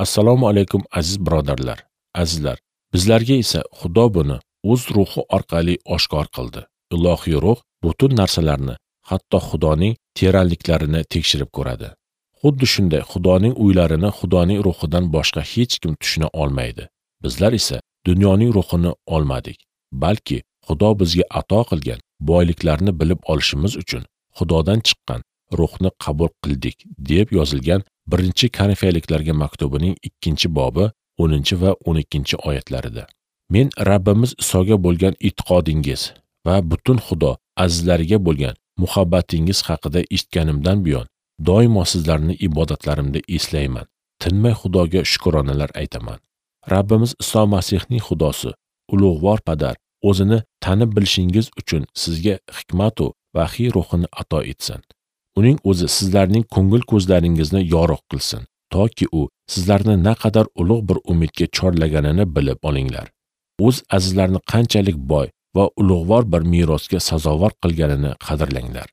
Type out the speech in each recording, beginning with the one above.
Assalomu alaykum aziz birodarlar, azizlar. Bizlarga esa Xudo buni o'z ruhi orqali oshkor qildi. Ilohiy ruh butun narsalarni, hatto Xudoning teranliklarini tekshirib ko'radi. Xuddi shunday Xudoning o'ylarini Xudoning ruhidan boshqa hech kim tushuna olmaydi. Bizlar esa dunyoning ruhini olmadik, balki Xudo bizga ato qilgan boyliklarni bilib olishimiz uchun Xudodan chiqqan ruhni qabul qildik deb yozilgan 1-Korinfiyliklarga maktubining 2-bobi 10 va 12 oyatlarida. Men Rabbimiz Isoga bo'lgan e'tiqodingiz va butun Xudo azizlariga bo'lgan muhabbatingiz haqida eshitganimdan buyon doimo sizlarni ibodatlarimda eslayman. Tinmay Xudoga shukronalar aytaman. Rabbimiz Iso Masihning Xudosi, ulug'vor Padar o'zini tanib bilishingiz uchun sizga hikmat va vahiy ruhini ato etsin. Uning o'zi sizlarning ko'ngil ko'zlaringizni yorug' qilsin, toki u sizlarni naqadar ulug' bir umidga chorlaganini bilib olinglar. O'z azizlarini qanchalik boy va ulug'vor bir merosga sazovor qilganini qadrlanglar.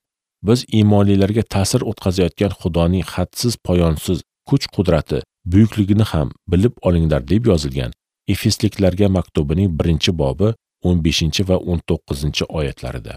Biz iymonlilarga ta'sir o'tkazayotgan Xudoning hadsiz poyonsiz kuch-qudrati buyukligini ham bilib olinglar deb yozilgan Efesliklarga maktubining 1-bobi 15 va 19 oyatlarida.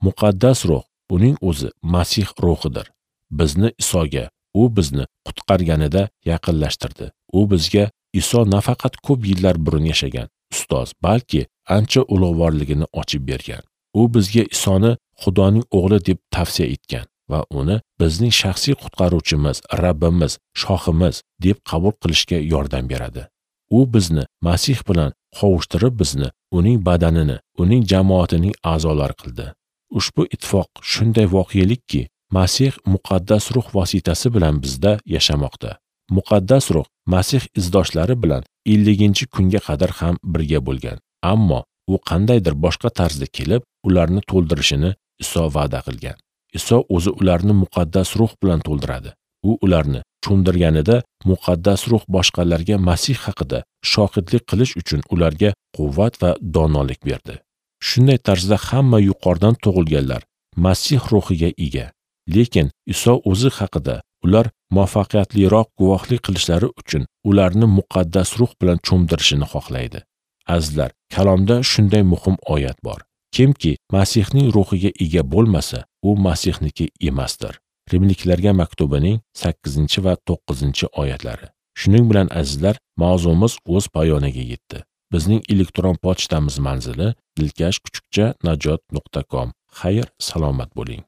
Muqaddas ruh, uning o'zi Masih ruhidir. Bizni Isoga, u bizni qutqarganida yaqinlashtirdi. U bizga Iso nafaqat ko'p yillar burun yashagan ustoz, balki ancha ulug'vorligini ochib bergan. U bizga Isoni Xudoning o'g'li deb tavsiya etgan va uni bizning shaxsiy qutqaruvchimiz, Rabbimiz, shohimiz deb qabul qilishga yordam beradi. U bizni Masih bilan qovushtirib, bizni uning badanini, uning jamoatining a'zolari qildi. Ushbu ittifoq shunday voqelikki, Masih muqaddas ruh vositasi bilan bizda yashamoqda. Muqaddas ruh Masih izdoshlari bilan 50-kunga qadar ham birga bo'lgan. Ammo u qandaydir boshqa tarzda kelib, ularni to'ldirishini Iso va'da qilgan. Iso o'zi ularni muqaddas ruh bilan to'ldiradi. U ularni cho'mdirganida muqaddas ruh boshqalarga Masih haqida shohidlik qilish uchun ularga quvvat va donolik berdi. Shunday tarzda hamma yuqoridan tug'ilganlar Masih ruhiga ega. Lekin Iso o'zi haqida ular muvaffaqiyatliroq guvohlik qilishlari uchun ularni muqaddas ruh bilan cho'mdirishini xohlaydi. Azizlar, kalomda shunday muhim oyat bor. Kimki Masihning ruhiga ega bo'lmasa, u Masihniki emasdir. Rimliklarga maktubining 8 va 9 oyatlari. Shuning bilan azizlar, mavzumiz o'z poyoniga yetdi. Bizning elektron pochtamiz manzili dilkash@najot.com. Xayr, salomat bo'ling.